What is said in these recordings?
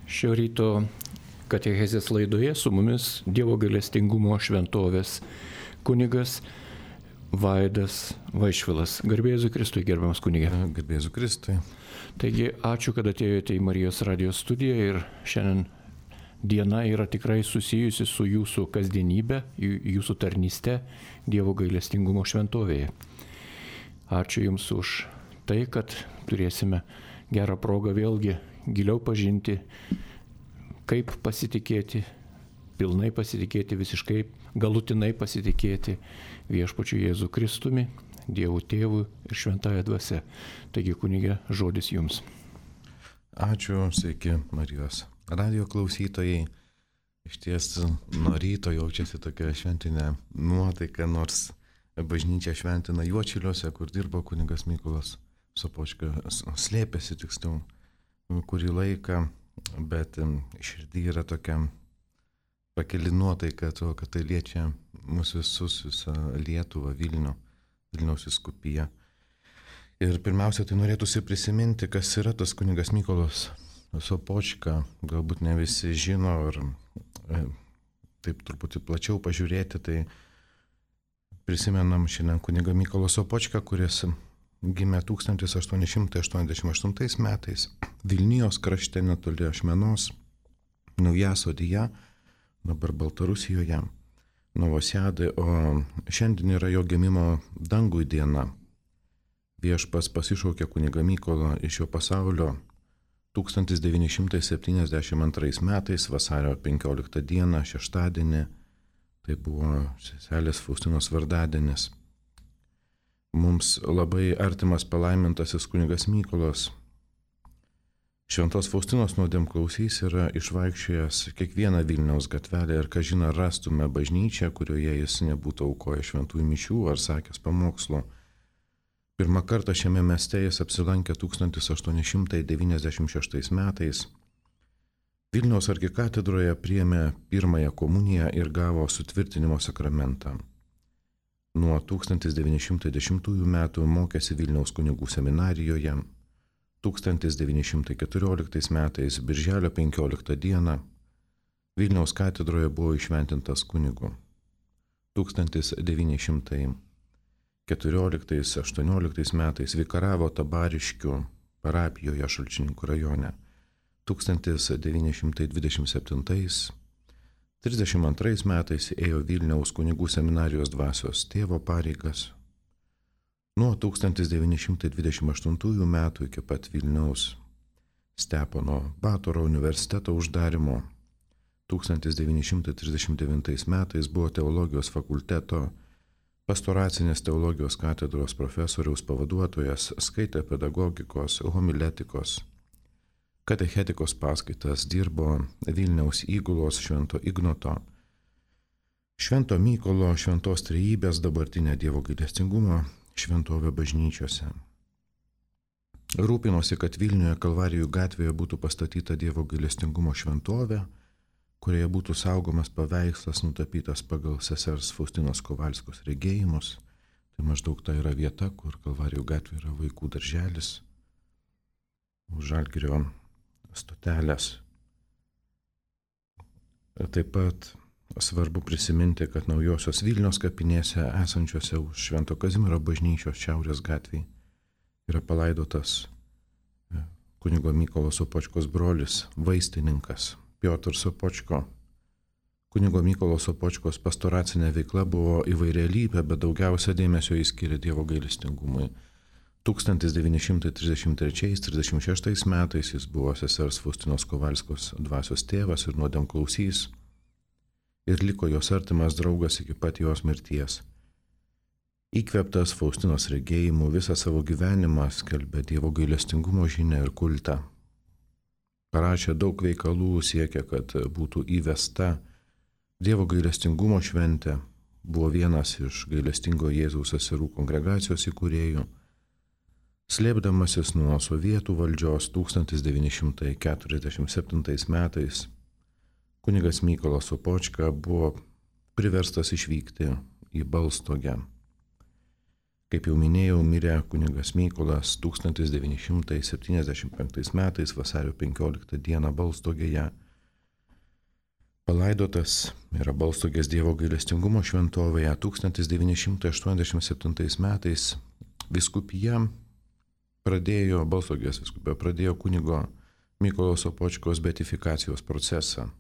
Šio ryto katechezės laidoje su mumis Dievo gailestingumo šventovės kunigas Vaidas Vaišvilas. Garbė Jėzui Kristui, gerbiamas kunige. Garbė Jėzui Kristui. Taigi, ačiū, kad atėjote į Marijos radijos studiją ir šiandien diena yra tikrai susijusi su jūsų kasdienybė, jūsų tarnyste Dievo gailestingumo šventovėje. Ačiū Jums už tai, kad turėsime gerą progą vėlgi giliau pažinti, kaip pasitikėti, pilnai pasitikėti, visiškai galutinai pasitikėti viešpačiu Jėzu Kristumi, Dievu Tėvu ir Šventąja Dvasia. Taigi, kunige, žodis Jums. Ačiū, sveiki Marijos radijo klausytojai. Iš ties nuo ryto jaučiasi tokia šventinė nuotaika, nors bažnyčia šventina Juočiliuose, kur dirbo kunigas Mykolas Sopočka, slėpėsi tiksliau kurį laiką, bet širdį yra tokia pakeli nuotaika, to, kad tai liečia mūsų visus, visą Lietuvą, Vilniaus vyskupiją. Ir pirmiausia, tai norėtųsi prisiminti, kas yra tas kunigas Mykolas Sopočka. Galbūt ne visi žino, ar taip truputį plačiau pažiūrėti, tai prisimenam šiandien kunigą Mykolą Sopočką, kuris gimė 1888 metais Vilnijos krašte netoli Ašmenos, Naujasodyje, dabar Baltarusijoje, Novosiadai, o šiandien yra jo gimimo dangui diena. Viešpas pasišaukė kunigą Mykolą iš šio pasaulio 1972 metais, vasario 15 dieną, šeštadienį, tai buvo seselės Faustinos vardadienis. Mums labai artimas palaimintasis kunigas Mykolas Šventos Faustinos nuodėmklausys yra išvaikščiojęs kiekvieną Vilniaus gatvelę ir kažina rastume bažnyčią, kurioje jis nebūtų aukojęs šventųjų mišių ar sakęs pamokslo. Pirmą kartą šiame mieste jis apsilankė 1896 metais. Vilniaus arkikatedroje priėmė pirmąją komuniją ir gavo sutvirtinimo sakramentą. Nuo 1910 metų mokėsi Vilniaus kunigų seminarijoje. 1914 metais, birželio 15 dieną, Vilniaus katedroje buvo įšventintas kunigu. 1914-18 metais vikaravo Tabariškių parapijoje Šalčininkų rajone. 1927-32 metais ėjo Vilniaus kunigų seminarijos dvasios tėvo pareigas. Nuo 1928 metų iki pat Vilniaus Stepono Batoro universiteto uždarimo 1939 metais buvo teologijos fakulteto pastoracinės teologijos katedros profesoriaus pavaduotojas, skaitė pedagogikos, homiletikos, katechetikos paskaitas, dirbo Vilniaus įgulos Švento Ignoto, Švento Mykolo, Šventos Trejybės, dabartinė Dievo gailestingumo šventovė bažnyčiose. Rūpinosi, kad Vilniuje Kalvarijų gatvėje būtų pastatyta Dievo gailestingumo šventovė, kurioje būtų saugomas paveikslas nutapytas pagal sesers Faustinos Kovalskos regėjimus. Tai maždaug ta yra vieta, kur Kalvarijų gatvė yra vaikų darželis, už Žalgirio stotelės. Taip pat svarbu prisiminti, kad Naujosios Vilnios kapinėse esančiose už Švento Kazimiero bažnyčios šiaurės gatvėje yra palaidotas kunigo Mykolo Sopočkos brolis, vaistininkas Piotr Sopočko. Kunigo Mykolo Sopočkos pastoracinė veikla buvo įvairialypė, bet daugiausia dėmesio jis skyrė Dievo gailestingumui. 1933-36 metais jis buvo sesers Faustinos Kovalskos dvasios tėvas ir nuodėmklausys ir liko jos artimas draugas iki pat jos mirties. Įkvėptas Faustinos regėjimų visą savo gyvenimą skelbė Dievo gailestingumo žinią ir kultą. Parašė daug veikalų, siekė, kad būtų įvesta Dievo gailestingumo šventė, buvo vienas iš gailestingo Jėzaus seserų kongregacijos įkūrėjų. Slėpdamasis nuo sovietų valdžios 1947 metais, kunigas Mykolas Sopočka buvo priverstas išvykti į Balstogę. Kaip jau minėjau, mirė kunigas Mykolas 1975 metais vasario 15 dieną Balstogėje. Palaidotas yra Balstogės Dievo gailestingumo šventovėje. 1987 metais Balstogės vyskupija pradėjo kunigo Mykolo Sopočkos beatifikacijos procesą.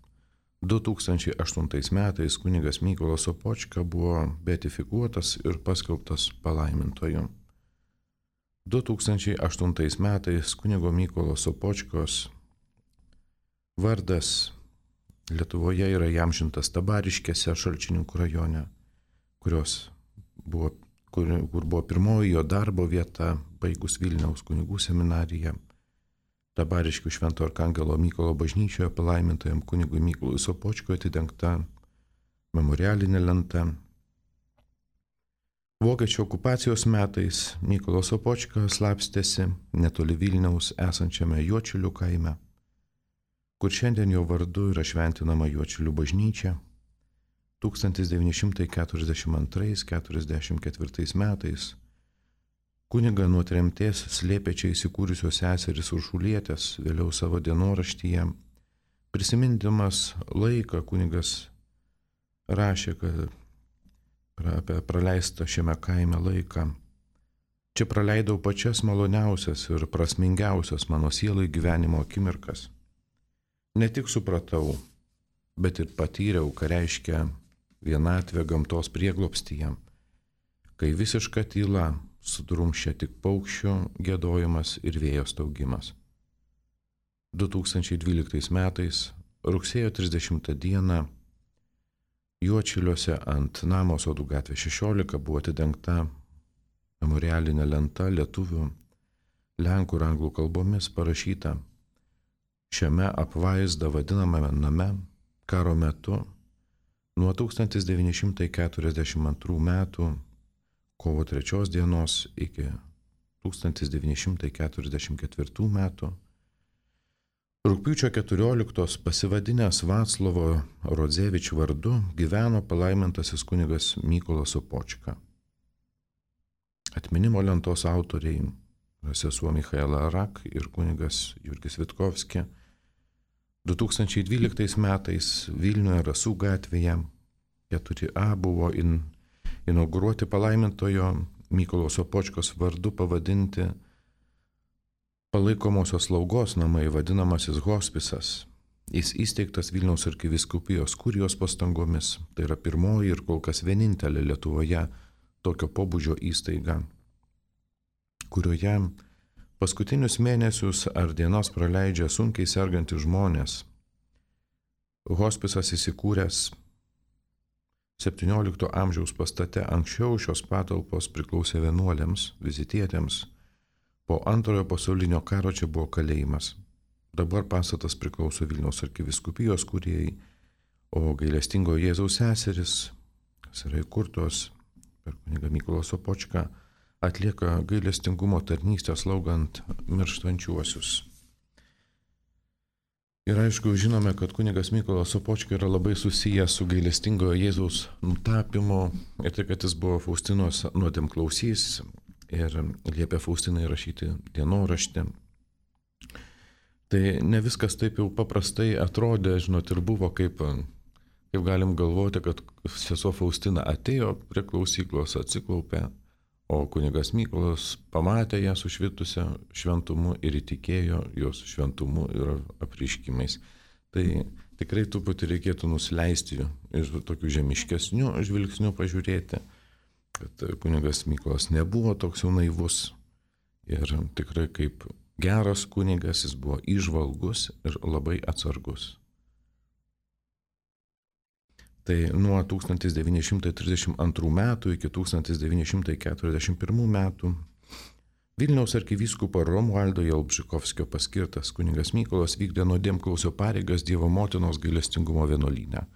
2008 metais kunigas Mykolas Sopočka buvo beatifikuotas ir paskelbtas palaimintoju. 2008 metais kunigo Mykolo Sopočkos vardas Lietuvoje yra įamžintas Tabariškėse, Šalčininkų rajone, kur buvo pirmoji jo darbo vieta, baigus Vilniaus kunigų seminariją. Tabariškių Švento Arkangelo Mykolo bažnyčioje palaimintajam kunigui Mykolui Sopočkui atidengta memorialinė lenta. Vokiečių okupacijos metais Mykolas Sopočka slapstėsi netoli Vilniaus esančiame Juodšilių kaime, kur šiandien jo vardu yra šventinama Juodšilių bažnyčia. 1942-1944 metais kunigą nuo tremties slėpė čia įsikūrusios seserys Uršulietės, vėliau savo dienoraštyje. Prisimindamas laiką kunigas rašė, kad apie praleistą šiame kaime laiką. Čia praleidau pačias maloniausias ir prasmingiausias mano sielai gyvenimo akimirkas. Ne tik supratau, bet ir patyriau, ką reiškia vienatvė gamtos prieglobstyje, kai visiška tyla sudrumščia tik paukščių giedojimas ir vėjo staugimas. 2012 metais, rugsėjo 30 dieną, Juodšiliuose ant namo Sodų gatvė 16 buvo atidengta memorialinė lenta lietuvių, lenkų ir anglų kalbomis parašyta: šiame apvaizda vadinamame name karo metu nuo 1942 metų kovo 3 dienos iki 1944 metų rugpjūčio 14 pasivadinęs Vaclovo Rodzevič vardu gyveno palaimintasis kunigas Mykolas Sopočka. Atminimo lentos autoriai sesuo Michaela Rak ir kunigas Jurgis Vitkovski 2012 metais Vilniuje Rasų gatvėje 4A buvo inauguruoti palaimintojo Mykolo Sopočkos vardu pavadinti palaikomosios slaugos namai, vadinamasis hospisas. Jis įsteigtas Vilniaus arkivyskupijos kurijos pastangomis. Tai yra pirmoji ir kol kas vienintelė Lietuvoje tokio pobūdžio įstaiga, kurioje paskutinius mėnesius ar dienas praleidžia sunkiai sergantys žmonės. Hospisas įsikūręs 17 amžiaus pastate. Anksčiau šios patalpos priklausė vienuoliams, vizitietėms. Po Antrojo pasaulinio karo čia buvo kalėjimas. Dabar pastatas priklauso Vilniaus arkivyskupijos kurijai, o gailestingojo Jėzaus seseris, kas yra įkurtos per kunigą Mykolą Sopočką, atlieka gailestingumo tarnystę slaugant mirštančiuosius. Ir aišku, žinome, kad kunigas Mykolas Sopočka yra labai susijęs su gailestingojo Jėzaus nutapimu ir tai, kad jis buvo Faustinos nuodėmklausys ir liepė Faustinai rašyti dienoraštį. Tai ne viskas taip jau paprastai atrodė, žinot, ir buvo kaip galim galvoti, kad sesuo Faustina atėjo prie klausyklos, atsiklaupė, o kunigas Mykolas pamatė ją sušvitusią šventumu ir įtikėjo jos šventumu ir apreiškimais. Tai tikrai truputį reikėtų nusileisti ir tokių žemiškesnių žvilgsnių pažiūrėti, kad kunigas Mykolas nebuvo toks jau naivus ir tikrai kaip geras kunigas jis buvo įžvalgus ir labai atsargus. Tai nuo 1932 metų iki 1941 metų Vilniaus arkivyskupo Romualdo Jalbžykovskio paskirtas kunigas Mykolas vykdė nuodėmklausio pareigas Dievo motinos gailestingumo vienuolyne.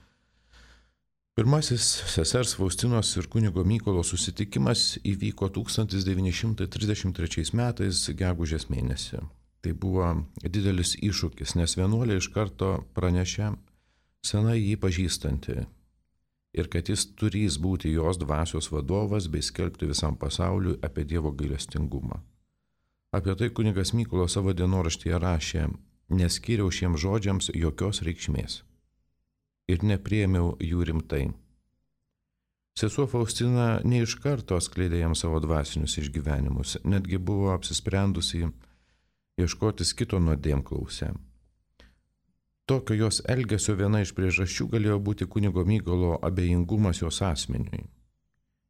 Pirmasis sesers Faustinos ir kunigo Mykolo susitikimas įvyko 1933 metais gegužės mėnesį. Tai buvo didelis iššūkis, nes vienuolė iš karto pranešė senai jį pažįstanti ir kad jis turės būti jos dvasios vadovas bei skelbti visam pasauliui apie Dievo gailestingumą. Apie tai kunigas Mykolas savo dienoraštyje rašė: neskyriau šiems žodžiams jokios reikšmės ir nepriėmiau jų rimtai. Sesuo Faustina ne iš karto skleidė jam savo dvasinius išgyvenimus, netgi buvo apsisprendusi ieškotis kito nuodėmklausę. Tokio jos elgesio viena iš priežasčių galėjo būti kunigo Mykolo abejingumas jos asmeniui.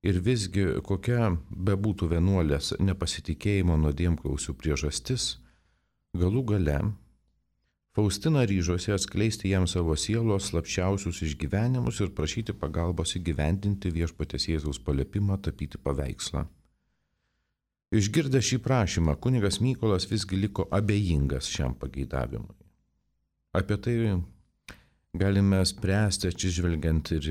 Ir visgi kokia bebūtų vienuolės nepasitikėjimo nuodėmklausių priežastis, galų gale Faustina ryžosi atskleisti jam savo sielos slapčiausius išgyvenimus ir prašyti pagalbos įgyvendinti Viešpaties Jėzaus paliepimą tapyti paveikslą. Išgirdęs šį prašymą, kunigas Mykolas visgi liko abejingas šiam pageidavimui. Apie tai galime spręsti atsižvelgiant ir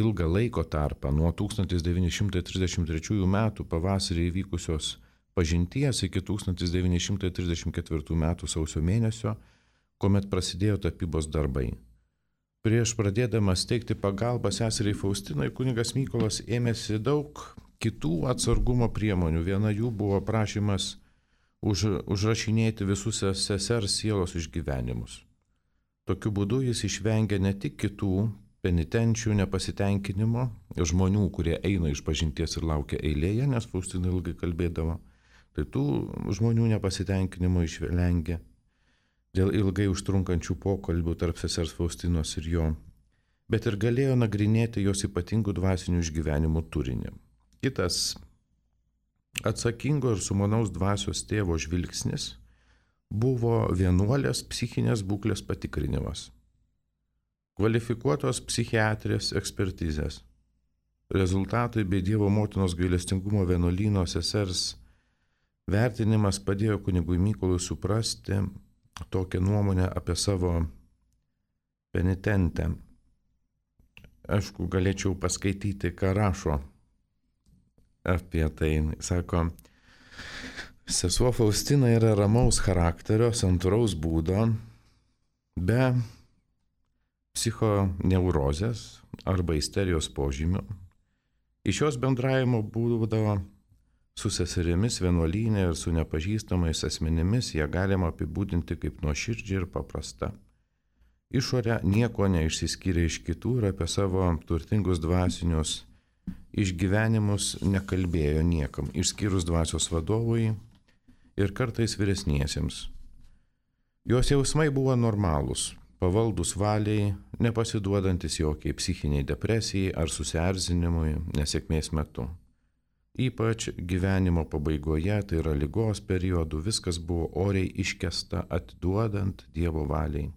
ilgą laiko tarpą nuo 1933 metų pavasarį įvykusios pažinties iki 1934 metų sausio mėnesio, kuomet prasidėjo tapybos darbai. Prieš pradėdamas teikti pagalbą seseriai Faustinai, kunigas Mykolas ėmėsi daug kitų atsargumo priemonių. Viena jų buvo prašymas užrašinėti visus sesers sielos išgyvenimus. Tokiu būdu jis išvengia ne tik kitų penitenčių nepasitenkinimo, žmonių, kurie eina iš pažinties ir laukia eilėje, nes Faustina ilgai kalbėdavo, tai tų žmonių nepasitenkinimo išvengia dėl ilgai užtrunkančių pokalbių tarp sesers Faustinos ir jo, bet ir galėjo nagrinėti jos ypatingų dvasinių išgyvenimų turinį. Kitas atsakingo ir sumanaus dvasios tėvo žvilgsnis buvo vienuolės psichinės būklės patikrinimas, kvalifikuotos psichiatrės ekspertizės, rezultatai bei Dievo motinos gailestingumo vienuolyno sesers vertinimas padėjo kunigui Mykolui suprasti tokią nuomonę apie savo penitentę. Aišku, galėčiau paskaityti, ką rašo apie tai. Sako, sesuo Faustina yra ramaus charakterio, santūraus būdo, be psichoneurozės arba isterijos požymių. Iš jos bendravimo būdavo su seserimis vienuolyne ir su nepažįstamais asmenimis ją galima apibūdinti kaip nuoširdžią ir paprastą. Išorę nieko neišsiskyrė iš kitų ir apie savo turtingus dvasinius išgyvenimus nekalbėjo niekam, išskyrus dvasios vadovui ir kartais vyresniesiems. Jos jausmai buvo normalūs, pavaldus valiai, nepasiduodantis jokiai psichiniai depresijai ar susierzinimui nesėkmės metu. Ypač gyvenimo pabaigoje, tai yra ligos periodu, viskas buvo oriai iškesta atiduodant Dievo valiai.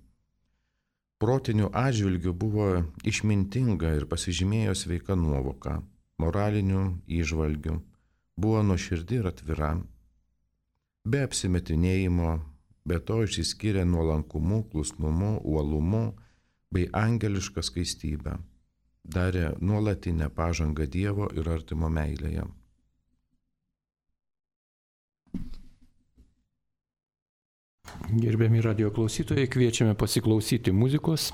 Protinių atžvilgių buvo išmintinga ir pasižymėjo sveika nuovoka, moralinių įžvalgių, buvo nuoširdi ir atvira, be apsimetinėjimo, be to išsiskyrė nuolankumu, klusnumu, uolumu bei angeliška skaistybė, darė nuolatinę pažangą Dievo ir artimo meilėje. Gerbiami radio klausytojai, kviečiame pasiklausyti muzikos.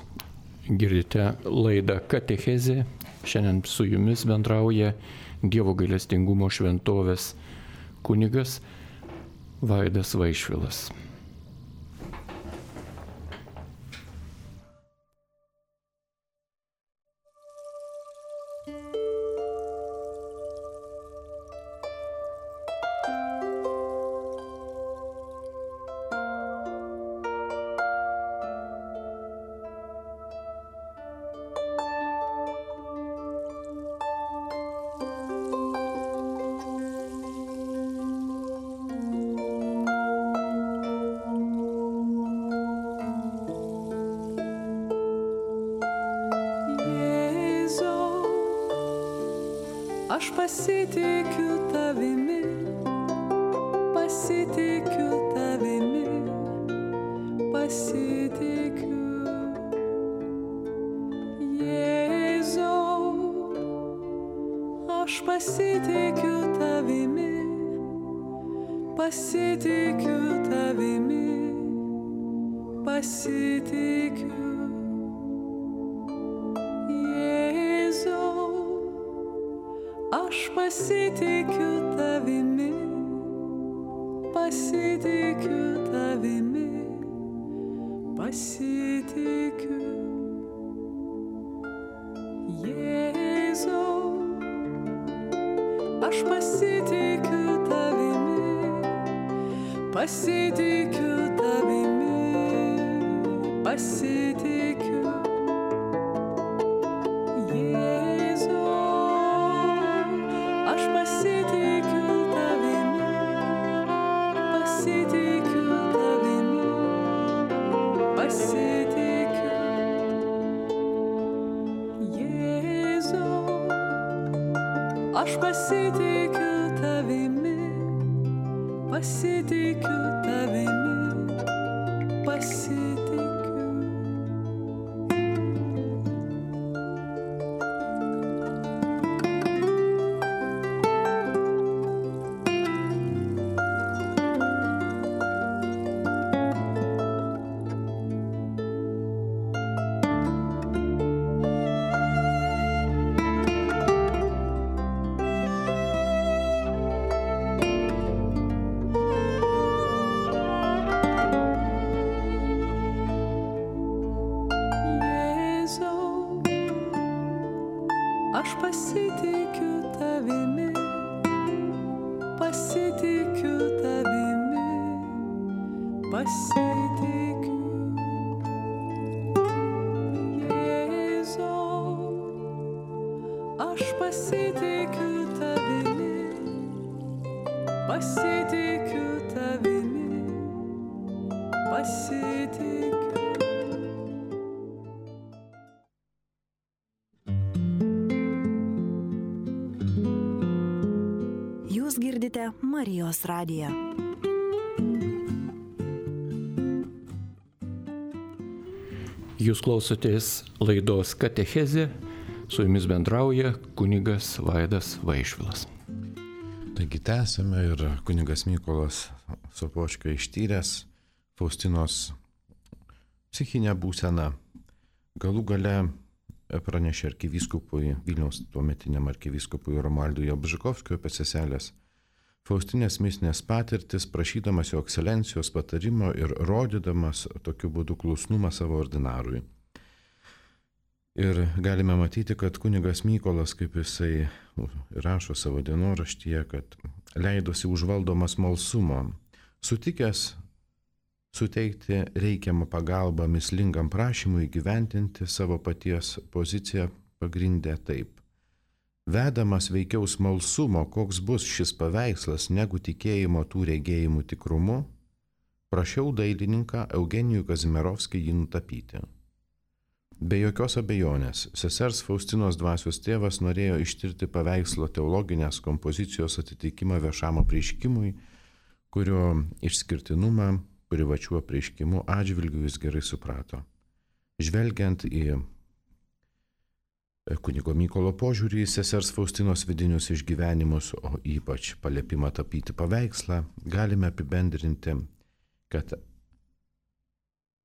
Girdite laidą Katechezė. Šiandien su jumis bendrauja Dievo gailestingumo šventovės kunigas Vaidas Vaišvilas. Aš pasitikiu tavimi, pasitikiu tavimi, pasitikiu. Jėzau, aš pasitikiu tavimi, pasitikiu tavimi, pasitikiu. Jėzau. Aš pasitikiu tavimi, pasitikiu tavimi, pasitikiu. Jėzau, aš pasitikiu tavimi, pasitikiu tavimi, pasitikiu. Jėzau, aš pasitikiu tavimi, pasitikiu tavimi, pasitikiu. Jėzau, aš pasitikiu tavimi, pasitikiu tavimi, pasitikiu. Aš pasitikiu tavimi, pasitikiu tavimi, pasitikiu. Jėzau, aš pasitikiu tavimi, pasitikiu tavimi, pasitikiu. Jūs girdite Marijos radiją. Jūs klausotės laidos Katechezė, su jumis bendrauja kunigas Vaidas Vaišvilas. Taigi tęsime ir kunigas Mykolas Sopočka ištyręs Faustinos psichinę būseną. Galų gale pranešė arkivyskupui, Vilniaus tuometiniam arkivyskupui Romualdui Jalbžykovskiui apie seselės Faustinės mistinės patirtis, prašydamas jo ekscelencijos patarimo ir rodydamas tokiu būdu klusnumą savo ordinarui. Ir galime matyti, kad kunigas Mykolas, kaip jisai rašo savo dienoraštyje, kad leidosi užvaldomas smalsumo, sutikęs suteikti reikiamą pagalbą mislingam prašymui įgyventinti savo paties poziciją pagrindė taip. Vedamas veikiau smalsumo, koks bus šis paveikslas, negu tikėjimo tų regėjimų tikrumu, prašiau dailininką Eugenijų Kazimierovskį jį nutapyti. Be jokios abejonės, sesers Faustinos dvasios tėvas norėjo ištirti paveikslo teologinės kompozicijos atitikimą viešam apreiškimui, kurio išskirtinumą privačių apreiškimų atžvilgių jis gerai suprato. Žvelgiant į kunigo Mykolo požiūrį į sesers Faustinos vidinius išgyvenimus, o ypač paliepimą tapyti paveikslą, galime apibendrinti, kad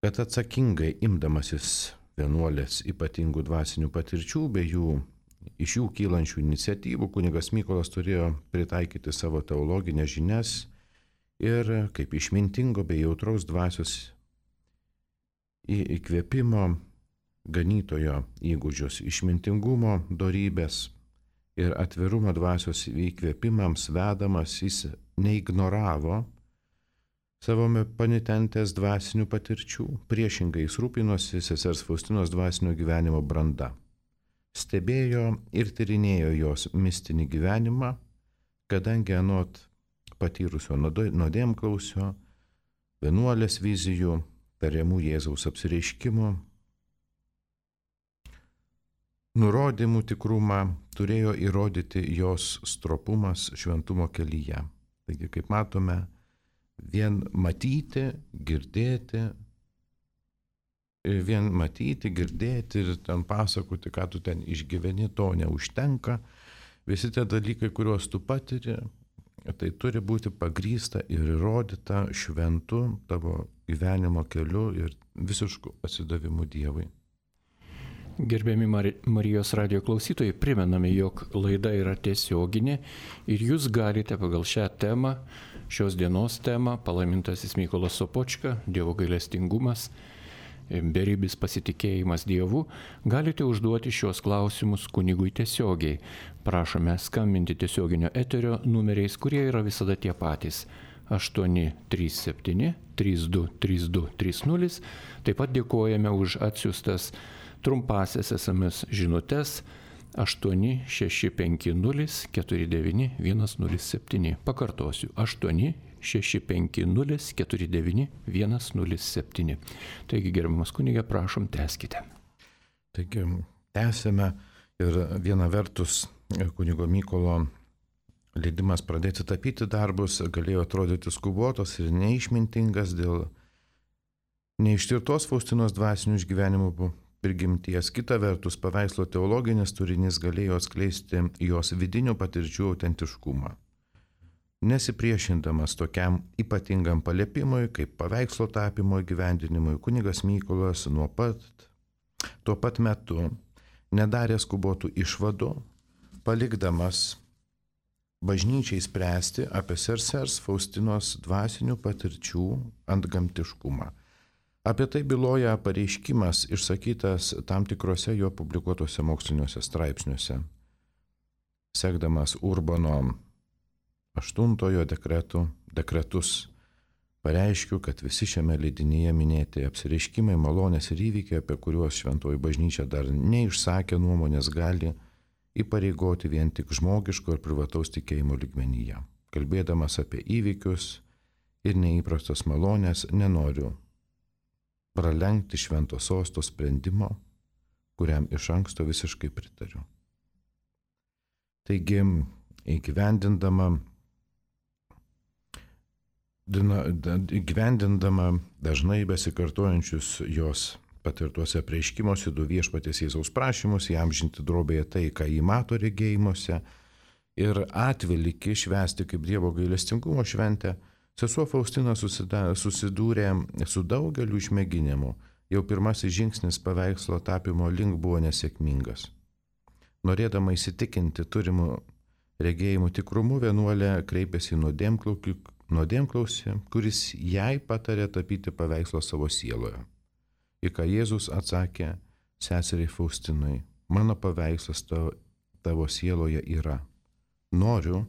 atsakingai imdamasis vienuolės ypatingų dvasinių patirčių bei iš jų kylančių iniciatyvų, kunigas Mykolas turėjo pritaikyti savo teologinės žinias ir kaip išmintingo bei jautraus dvasios įkvėpimo ganytojo įgūdžius, išmintingumo dorybės ir atvirumo dvasios įkvėpimams vedamas, jis neignoravo savo penitentės dvasinių patirčių, priešingai jis rūpinosi sesers Faustinos dvasinio gyvenimo branda. Stebėjo ir tyrinėjo jos mistinį gyvenimą, kadangi anot patyrusio nuodėmklausio, vienuolės vizijų, tariamų Jėzaus apsireiškimų, nurodymų tikrumą turėjo įrodyti jos stropumas šventumo kelyje. Taigi, kaip matome, vien matyti, girdėti ir ten pasakoti, ką tu ten išgyveni, to neužtenka. Visi tie dalykai, kuriuos tu patiri, tai turi būti pagrįsta ir įrodyta šventu tavo gyvenimo keliu ir visišku atsidavimu Dievui. Gerbiami Marijos radio klausytojai, primename, jog laida yra tiesioginė ir jūs galite pagal šią temą, šios dienos temą, palaimintasis Mykolas Sopočka, Dievo gailestingumas, beribis pasitikėjimas Dievu, galite užduoti šios klausimus kunigui tiesiogiai. Prašome skambinti tiesioginio eterio numeriais, kurie yra visada tie patys. 837 32 32 30. Taip pat dėkojame už atsiųstas trumpasias SMS žinutes 8650 49 107. Pakartosiu, 8650 49 107. Taigi, gerbiamas kunige, prašom, tęskite. Taigi, tęsime ir viena vertus kunigo Mykolo leidimas pradėti tapyti darbus galėjo atrodyti skubotas ir neišmintingas dėl neištirtos Faustinos dvasinių išgyvenimų prigimties. Kita vertus, paveikslo teologinis turinys galėjo atskleisti jos vidinių patirčių autentiškumą. Nesipriešindamas tokiam ypatingam paliepimui, kaip paveikslo tapimo įgyvendinimui, kunigas Mykolas tuo pat metu nedarė skubotų išvadų, palikdamas bažnyčiai spręsti apie sesers Faustinos dvasinių patirčių antgamtiškumą. Apie tai byloja pareiškimas išsakytas tam tikrose jo publikuotose moksliniuose straipsniuose. Sekdamas Urbano VIII dekretus, pareiškiu, kad visi šiame leidinyje minėti apsireiškimai, malonės ir įvykiai, apie kuriuos šventoji bažnyčia dar neišsakė nuomonės, gali įpareigoti vien tik žmogiško ir privataus tikėjimo lygmenyje. Kalbėdamas apie įvykius ir neįprastas malonės, nenoriu pralenkti švento sosto sprendimo, kuriam iš anksto visiškai pritariu. Taigi, įgyvendindama dažnai besikartojančius jos patirtuose apreiškimuose du viešpaties Jėzaus prašymus įamžinti drobėje tai, ką jį mato regėjimuose, ir atvelykį švęsti kaip Dievo gailestingumo šventę, sesuo Faustina susidūrė su daugeliu išmėginimų. Jau pirmasis žingsnis paveikslo tapimo link buvo nesėkmingas. Norėdama įsitikinti turimų regėjimų tikrumu, vienuolė kreipėsi į nuodėmklausį, kuris jai patarė tapyti paveikslą savo sieloje. Į ką Jėzus atsakė seseriai Faustinai: mano paveikslas tavo sieloje yra. Noriu,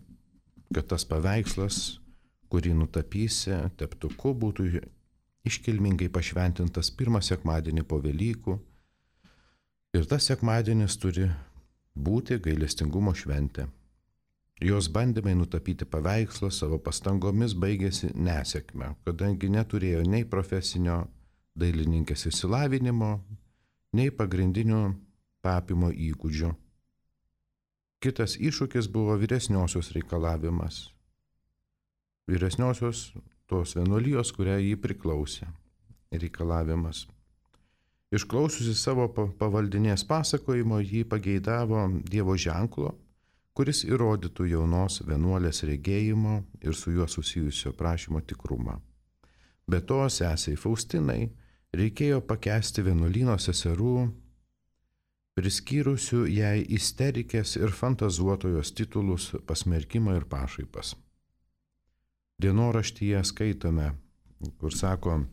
kad tas paveikslas, kurį nutapysi teptuku, būtų iškilmingai pašventintas pirmą sekmadienį po Velykų. Ir tas sekmadienis turi būti gailestingumo šventė. Jos bandymai nutapyti paveikslą savo pastangomis baigėsi nesėkme, kadangi neturėjo nei profesinio dailininkės išsilavinimo, nei pagrindinių tapymo įgūdžių. Kitas iššūkis buvo vyresniosios reikalavimas. Vyresniosios tos vienuolijos, kurią jį priklausė, reikalavimas. Išklausiusi savo pavaldinės pasakojimo, jį pageidavo Dievo ženklo, kuris įrodytų jaunos vienuolės regėjimo ir su juo susijusio prašymo tikrumą. Be to, sesei Faustinai reikėjo pakęsti vienuolyno seserų, priskyrusių jai isterikės ir fantazuotojos titulus, pasmerkimą ir pašaipas. Dienoraštyje skaitome, kur sako: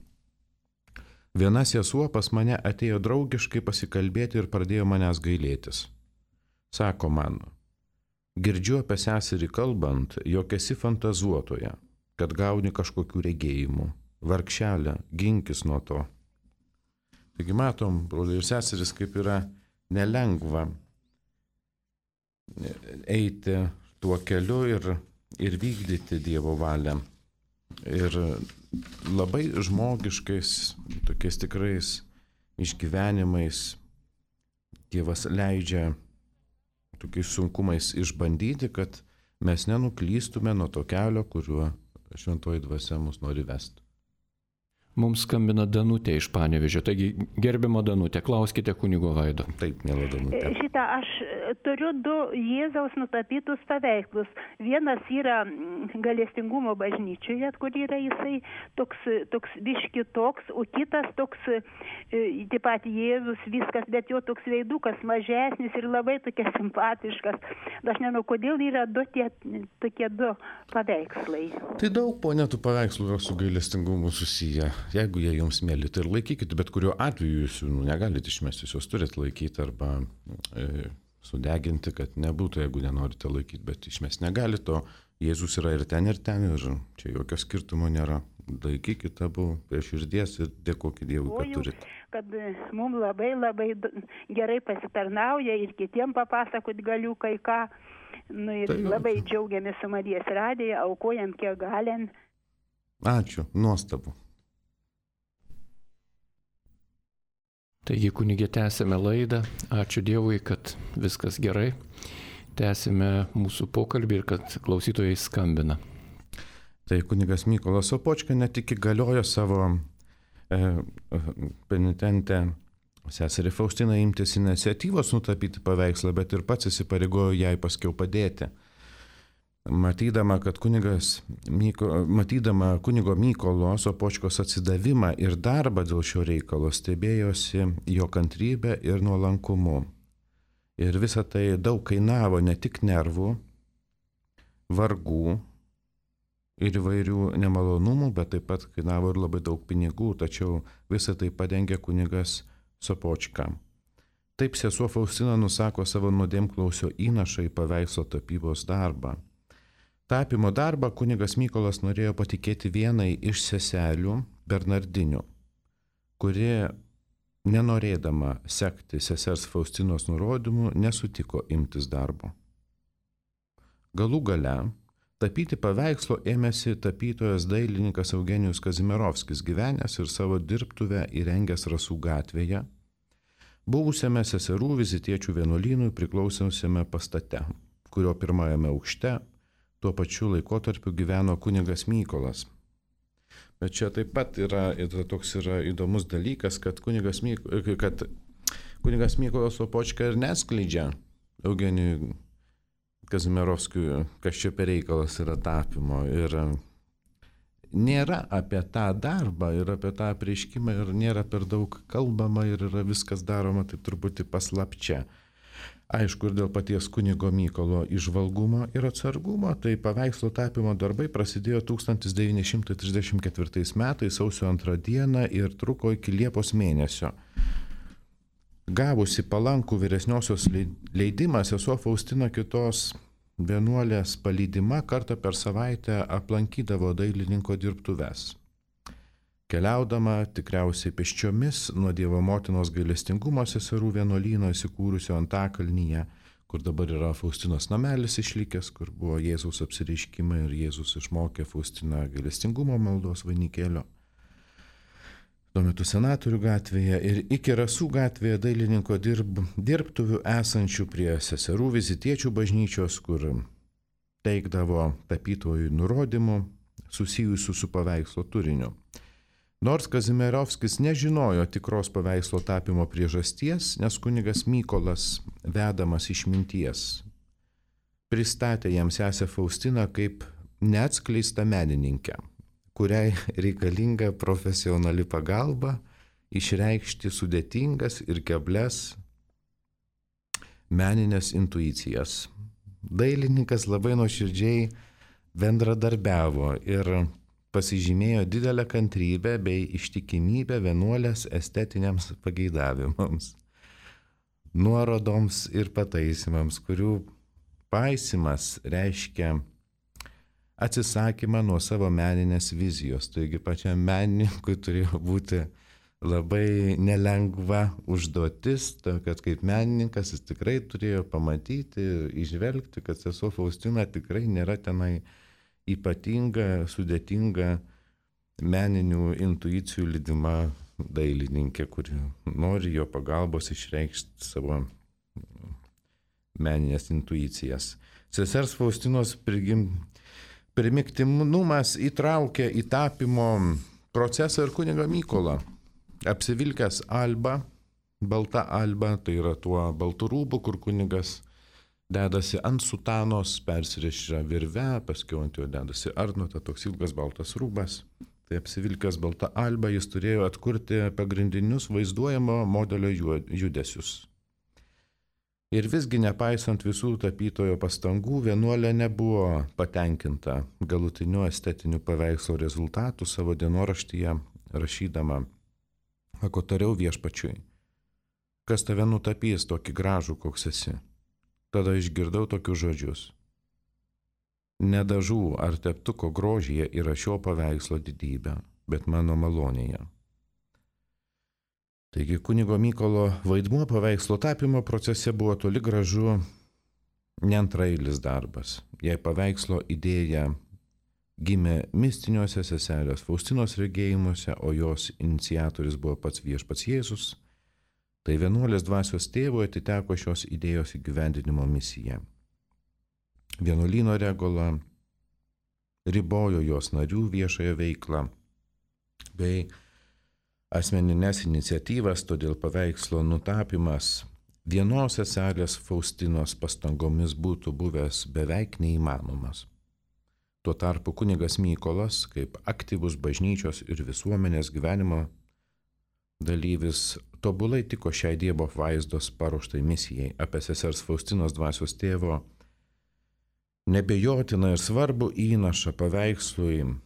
viena sesuo pas mane atėjo draugiškai pasikalbėti ir pradėjo manęs gailėtis. Sako man: girdžiu apie seserį kalbant, jog esi fantazuotoja, kad gauni kažkokių regėjimų. Vargšelė, ginkis nuo to. Taigi matom, broliai ir seseris, kaip yra nelengva eiti tuo keliu ir vykdyti Dievo valią. Ir labai žmogiškais, tokiais tikrais išgyvenimais Dievas leidžia tokiais sunkumais išbandyti, kad mes nenuklystume nuo to kelio, kuriuo šventoji dvasia mus nori vesti. Mums skambina Danutė iš Panevėžio. Taigi, gerbiama Danutė, klauskite kunigo Vaido. Taip, miela Danutė. Šitą aš turiu 2 Jėzaus nutapytus paveikslus. Vienas yra Gailestingumo bažnyčioje, kur yra jisai toks biški toks, o kitas toks, taip pat Jėzus viskas, bet jo toks veidukas mažesnis ir labai tokia simpatiškas. Aš nežinau, kodėl yra tokie 2 paveikslai. Tai daug, ponė, tų paveikslų yra su gailestingumu susiję. Jeigu jie jums mėly, tai ir laikykite, bet kuriuo atveju jūs jų negalite išmesti, jūs turite laikyti arba sudeginti, kad nebūtų, jeigu nenorite laikyti, bet išmesti negalite, o Jėzus yra ir ten, ir čia jokio skirtumo nėra. Laikykite abu prie širdies ir dėkokite Dievui, kad turite. Kad mums labai gerai pasitarnauja ir kitiem papasakot galiu kai ką. Ir tai labai džiaugiamės su Marijos radija, aukojam kiek galim. Ačiū, nuostabu. Taigi, kunigė, tęsime laidą. Ačiū Dievui, kad viskas gerai. Tęsime mūsų pokalbį ir kad klausytojai skambina. Tai kunigas Mykolas Sopočka ne tik įgaliojo savo penitentę seserį Faustiną imtis iniciatyvos nutapyti paveikslą, bet ir pats įsipareigojo jai paskiau padėti. Matydama kunigo Mykolo Sopočkos atsidavimą ir darbą dėl šio reikalo, stebėjosi jo kantrybę ir nuolankumu. Ir visa tai daug kainavo ne tik nervų, vargų ir įvairių nemalonumų, bet taip pat kainavo ir labai daug pinigų, tačiau visą tai padengė kunigas Sopočka. Taip sesuo Faustina nusako savo nuodėmklausio įnašą į paveikslo tapybos darbą. Tapimo darbą kunigas Mykolas norėjo patikėti vienai iš seselių Bernardinių, kuri, nenorėdama sekti sesers Faustinos nurodymų, nesutiko imtis darbo. Galų gale tapyti paveikslo ėmėsi tapytojas dailininkas Eugenijus Kazimierovskis, gyvenęs ir savo dirbtuvę įrengęs Rasų gatvėje, buvusiame seserų vizitiečių vienuolynui priklausiausiame pastate, kurio pirmajame aukšte tuo pačiu laikotarpiu gyveno kunigas Mykolas. Bet čia taip pat yra įdomus dalykas, kad kunigas Mykolas Sopočka ir neskleidžia Eugenijui Kazimierovskiui, kas čia per reikalas yra tapimo. Ir nėra apie tą darbą ir apie tą apreiškimą ir nėra per daug kalbama ir yra viskas daroma taip truputį paslapčia. Aišku, ir dėl paties kunigo Mykolo įžvalgumo ir atsargumo, tai paveikslo tapimo darbai prasidėjo 1934 metais sausio 2 dieną ir truko iki Liepos mėnesio. Gavusi palankų vyresniosios leidimą, sesuo Faustina kitos vienuolės palydima kartą per savaitę aplankydavo dailininko dirbtuves. Keliaudama tikriausiai pėsčiomis nuo Dievo motinos gailestingumo seserų vienuolyno įsikūrusio Antakalnyje, kur dabar yra Faustinos namelis išlikęs, kur buvo Jėzaus apsireiškimai ir Jėzus išmokė Faustiną gailestingumo maldos vainikėlio. Tuo metu Senatorių gatvėje ir iki Rasų gatvėje dailininko dirbtuvių esančių prie seserų vizitiečių bažnyčios, kur teikdavo tapytojų nurodymų susijusių su paveikslo turiniu. Nors Kazimierovskis nežinojo tikros paveikslo tapimo priežasties, nes kunigas Mykolas, vedamas išminties, pristatė jam sesę Faustiną kaip neatskleistą menininkę, kuriai reikalinga profesionali pagalba išreikšti sudėtingas ir keblias meninės intuicijas. Dailininkas labai nuoširdžiai bendradarbiavo ir pasižymėjo didelę kantrybę bei ištikimybę vienuolės estetiniams pageidavimams, nuorodoms ir pataisimams, kurių paisimas reiškia atsisakymą nuo savo meninės vizijos. Taigi pačiam menininkui turėjo būti labai nelengva užduotis, kad kaip menininkas jis tikrai turėjo pamatyti, išvelgti, kad sesuo Faustina tikrai nėra tenai ypatinga, sudėtinga meninių intuicijų lydima dailininkė, kuri nori jo pagalbos išreikšti savo meninės intuicijas. Sesers Faustinos primiktinumas įtraukė į tapimo procesą ir kunigą Mykolą. Apsivilkęs alba, balta alba, tai yra tuo baltų rūbų, kur kunigas dedasi ant sutanos, persirišia virve, paskiau ant jo dedasi arnota, toks ilgas baltas rūbas. Tai apsivilkęs balta alba, jis turėjo atkurti pagrindinius vaizduojamo modelio judesius. Ir visgi, nepaisant visų tapytojo pastangų, vienuolė nebuvo patenkinta galutiniu estetiniu paveikslo rezultatu savo dienoraštyje, rašydama: "Ako tariau viešpačiui, kas tave nutapys tokį gražų, koks esi?" Tada išgirdau tokius žodžius: "Ne dažų ar teptuko grožyje yra šio paveikslo didybė, bet mano malonėje." Taigi kunigo Mykolo vaidmuo paveikslo tapymo procese buvo toli gražu ne antraeilis darbas. Jei paveikslo idėja gimė mistiniuose seselės Faustinos regėjimuose, o jos iniciatorius buvo pats viešpats Jėzus, tai vienuolės dvasios tėvui atiteko šios idėjos įgyvendinimo misija. Vienuolyno regula ribojo jos narių viešąją veiklą bei asmeninės iniciatyvas, todėl paveikslo nutapymas vienos seselės Faustinos pastangomis būtų buvęs beveik neįmanomas. Tuo tarpu kunigas Mykolas, kaip aktyvus bažnyčios ir visuomenės gyvenimo dalyvis, tobulai tiko šiai Dievo apvaizdos paruoštai misijai. Apie sesers Faustinos dvasios tėvo nebejotiną ir svarbų įnašą paveikslui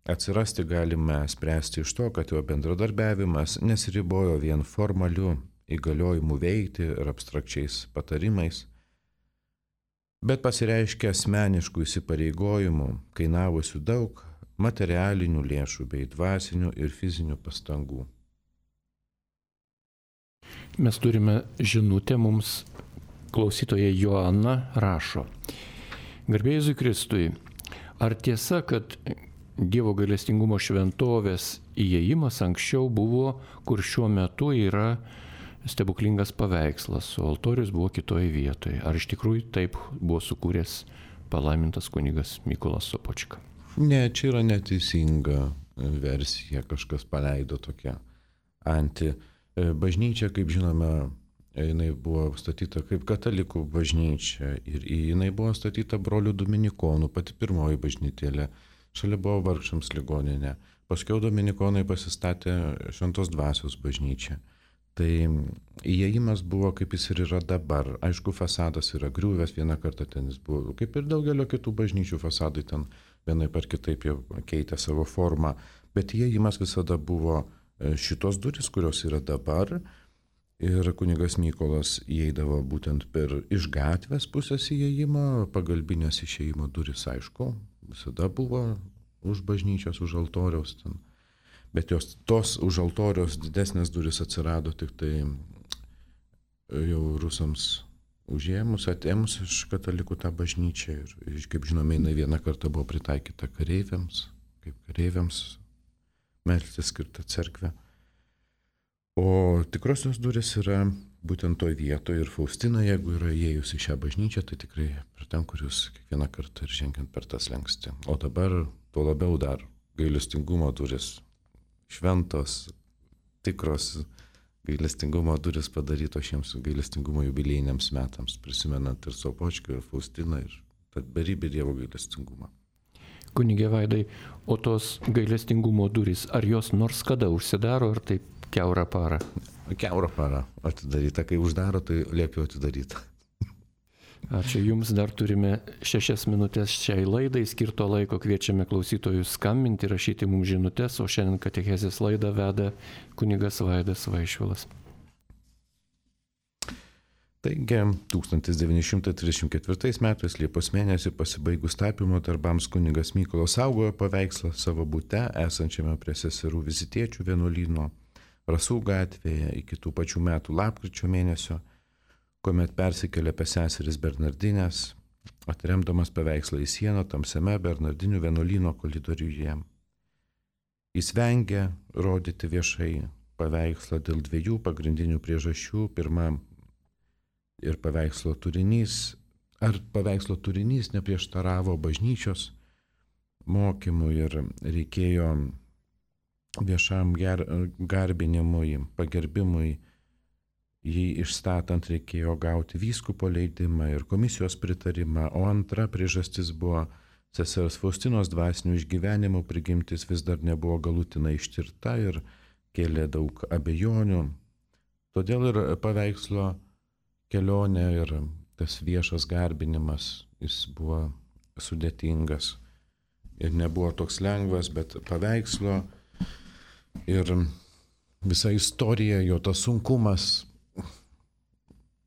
atsirasti galime spręsti iš to, kad jo bendradarbiavimas nesiribojo vien formaliu įgaliojimu veikti ir abstrakčiais patarimais, bet pasireiškia asmeniškų įsipareigojimų, kainavusių daug materialinių lėšų bei dvasinių ir fizinių pastangų. Mes turime žinutę, mums klausytoja Joana rašo: "Garbė Jėzui Kristui, ar tiesa, kad Dievo gailestingumo šventovės įėjimas anksčiau buvo, kur šiuo metu yra stebuklingas paveikslas, o altorius buvo kitoje vietoje? Ar iš tikrųjų taip buvo sukūręs palaimintas kunigas Mykolas Sopočka?" Ne, čia yra neteisinga versija, kažkas paleido tokią anti. Bažnyčia, kaip žinome, jinai buvo statyta kaip katalikų bažnyčia ir jinai buvo statyta brolių dominikonų, pati pirmoji bažnytėlė. Šalia buvo vargšams ligoninė. Paskiau dominikonai pasistatė Šventos dvasios bažnyčią. Tai įėjimas buvo, kaip jis ir yra dabar. Aišku, fasadas yra griuvęs, vieną kartą ten jis buvo, kaip ir daugelio kitų bažnyčių fasadai ten vienaip ar kitaip jau keitė savo formą. Bet įėjimas visada buvo šitos durys, kurios yra dabar. Ir kunigas Mykolas įeidavo būtent per iš gatvės pusės įėjimą, pagalbinės išėjimo durys, aišku, visada buvo už bažnyčios, už altoriaus ten. Bet tos už altoriaus didesnės durys atsirado tik tai jau rusams užėmus, atėmus iš katalikų tą bažnyčią. Ir kaip žinome, jinai vieną kartą buvo pritaikyta kareiviams, kaip kareiviams melstis skirta cerkvė. O tikrosios durys yra būtent toj vietoje ir Faustina, jeigu yra įėjus į šią bažnyčią, tai tikrai per ten, kur jūs kiekvieną kartą ir žengiant per tas lenksti. O dabar tuo labiau dar gailestingumo durys, šventos, tikros gailestingumo durys padarytos šiems gailestingumo jubiliejiniams metams, prisimenant ir Sopočką, ir Faustiną, ir tą beribį Dievo gailestingumą. Kunige Vaidai, o tos gailestingumo durys, ar jos nors kada užsidaro, ar taip kiaurą parą? Kiaurą parą atidaryta, kai uždaro, tai liepiau atidaryta. Ačiū Jums, dar turime 6 minutės šiai laidai, skirto laiko kviečiame klausytojus skambinti, rašyti mums žinutės, o šiandien katechezės laidą veda kunigas Vaidas Vaišvilas. Taigi, 1934 metais Liepos mėnesį pasibaigus tapymo darbams kunigas Mykolas saugojo paveikslą savo bute, esančiame prie seserų vizitiečių vienuolyno Rasų gatvėje iki tų pačių metų lapkričio mėnesio, kuomet persikėlė pas seseris Bernardinės, atremdamas paveikslą į sieną tamsiame Bernardinių vienuolyno koridoriuje. Jis vengė rodyti viešai paveikslą dėl 2 pagrindinių priežasčių. Pirma, ir paveikslo turinys neprieštaravo bažnyčios mokymui ir reikėjo viešam garbinimui, pagerbimui, jį išstatant reikėjo gauti vyskupo leidimą ir komisijos pritarimą, o antra priežastis buvo sesers Faustinos dvasinių išgyvenimų prigimtis vis dar nebuvo galutinai ištirta ir kėlė daug abejonių. Todėl ir paveikslo kelionė ir tas viešas garbinimas, jis buvo sudėtingas ir nebuvo toks lengvas, bet paveikslo ir visa istorija, jo tas sunkumas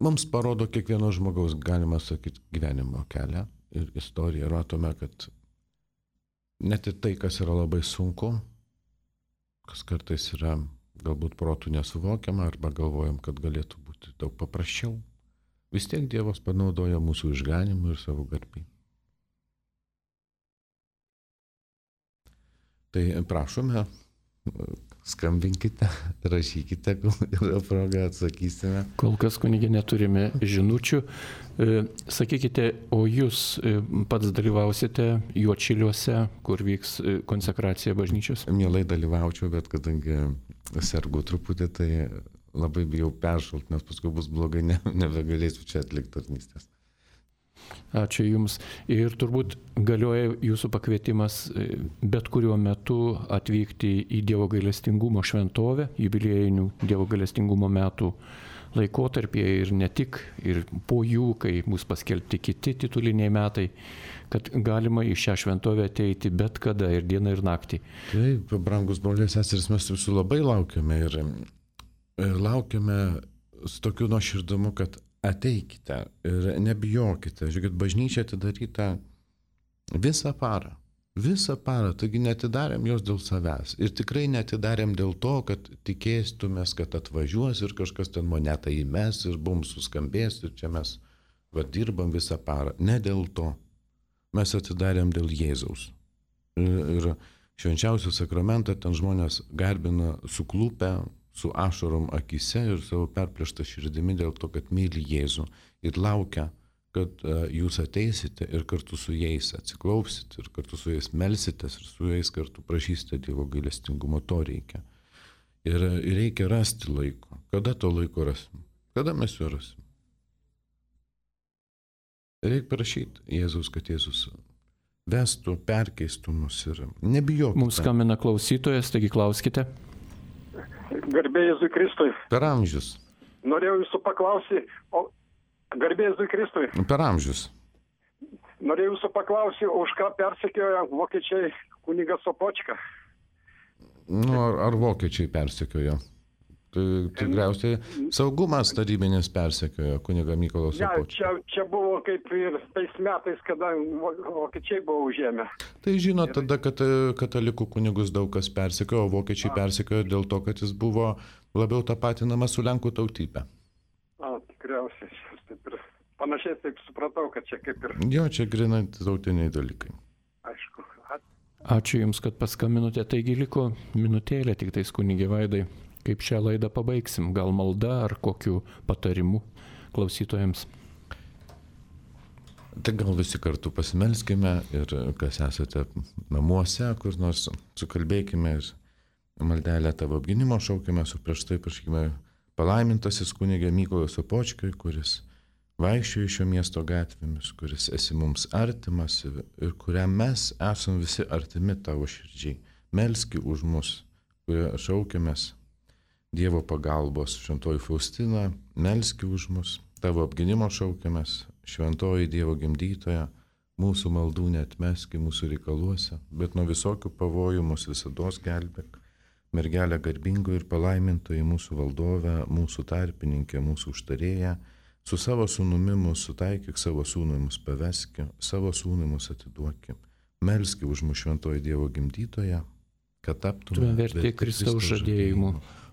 mums parodo kiekvieno žmogaus, galima sakyti, gyvenimo kelią ir istoriją. Matome, kad net ir tai, kas yra labai sunku, kas kartais yra galbūt protų nesuvokiama arba galvojam, kad galėtų būti daug paprasčiau, vis tiek Dievas panaudoja mūsų išganimui ir savo garbei. Tai prašome, skambinkite, rašykite, yra proga, atsakysime. Kol kas, kunigė, neturime žinučių. Sakykite, o jūs pats dalyvausite Juodšiliuose, kur vyks konsekracija bažnyčios? Mielai dalyvaučiau, bet kadangi sergu truputį, tai labai bijau peršalt, nes paskui bus blogai, nebegalėsiu čia atlikti tarnystės. Ačiū Jums. Ir turbūt galioja Jūsų pakvietimas bet kuriuo metu atvykti į Dievo gailestingumo šventovę, jubiliejinių Dievo gailestingumo metų laikotarpyje ir ne tik, ir po jų, kai bus paskelbti kiti tituliniai metai, kad galima į šią šventovę ateiti bet kada ir dieną ir naktį. Taip, brangus broliai seserys, mes visų labai laukiame ir laukiame su tokiu nuoširdumu, kad ateikite ir nebijokite. Žiūrėkit, bažnyčia atidaryta visą parą, taigi netidarėm jos dėl savęs. Ir tikrai netidarėm dėl to, kad tikėstumės, kad atvažiuos ir kažkas ten monetą įmes ir bum suskambės ir čia mes dirbam visą parą. Ne dėl to. Mes atidarėm dėl Jėzaus. Ir švenčiausią sakramentą ten žmonės garbina suklupę, su ašarom akise ir savo perplėštą širdimi dėl to, kad myli Jėzų ir laukia, kad jūs ateisite ir kartu su jais atsiklaupsite ir kartu su jais melsitės ir su jais kartu prašysite Dievo gailestingumo. To reikia. Ir reikia rasti laiko. Kada to laiko rasim? Kada mes jo rasim? Reikia prašyti Jėzus, kad Jėzus vestų, perkeistų mus ir nebijokite. Mums skambina klausytojas, taigi klauskite. Garbė Jėzui Kristui. Per amžius. Norėjau jūsų paklausyti, garbė Jėzui Kristui. Per amžius. Norėjau jūsų paklausyti, už ką persekioja vokiečiai kunigą Sopočką. Ar vokiečiai persekiojo? Tai tikriausiai saugumas tarybinis persekiojo kunigą Mykolą Sopočką. Čia buvo kaip ir tais metais, kada vokiečiai buvo užėmę. Tai žinot, tada, kad katalikų kunigus daug kas persekiojo, o vokiečiai persekiojo dėl to, kad jis buvo labiau tapatinamas su lenkų tautybė. Tikriausiai. Taip ir panašiai taip supratau, kad čia kaip ir... Jo, čia grinai tautiniai dalykai. Aišku. Ačiū Jums, kad paskambinote. Taigi liko minutėlė tik tais, kunigė Vaidai. Kaip šią laidą pabaigsim? Gal malda ar kokiu patarimu klausytojams? Tai gal visi kartu pasimelskime ir kas esate namuose, kur nors sukalbėkime ir maldelę Tavo apgynimo šaukime, su prieš tai prašykime palaimintasis kunigė Mykolą Sopočką, kuris vaikščiojo šio miesto gatvėmis, kuris esi mums artimas ir kuriam mes esam visi artimi Tavo širdžiai. Melski už mus, kurie šaukėmės Dievo pagalbos. Šventoji Faustina, melski už mus, Tavo apgynimo šaukiamės, šventoji Dievo gimdytoja, mūsų maldų neatmeski mūsų reikaluose, bet nuo visokių pavojų mus visados gelbėk. Mergelė garbingo ir palaimintoji mūsų valdove, mūsų tarpininkė, mūsų užtarėja, su savo sūnumi mus sutaikyk, savo sūnui mus paveski, savo sūnui mus atiduoki. Melski už mus šventoji Dievo gimdytoja, kad taptume verti Kristaus žadėjimu.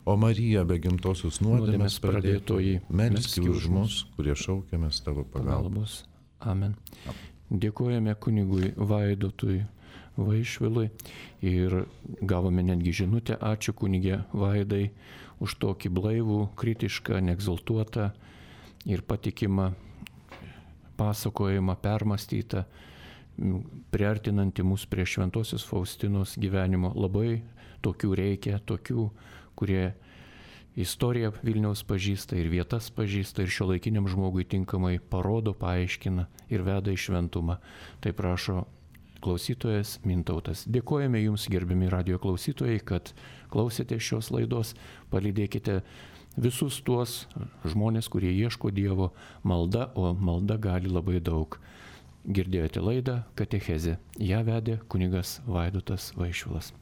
O Marija, be gimtosios nuodėmės pradėtoji, melski už mus, kurie šaukiamės Tavo pagalbos. Amen. Dėkojame kunigui Vaidotui Vaišvilui ir gavome netgi žinutę. Ačiū kunigė Vaidai už tokį blaivų, kritišką, neegzaltuotą ir patikimą pasakojimą, permąstytą, priartinantį mus prie šventosios Faustinos gyvenimo. Labai tokių reikia, tokių, kurie istoriją Vilniaus pažįsta ir vietas pažįsta ir šiuolaikiniam žmogui tinkamai parodo, paaiškina ir veda į šventumą. Tai prašo klausytojas Mintautas. Dėkojame Jums, gerbiami radijo klausytojai, kad klausėte šios laidos. Palydėkite visus tuos žmonės, kurie ieško Dievo malda, o malda gali labai daug. Girdėjote laidą Katechezė. Ją vedė kunigas Vaidotas Vaišvilas.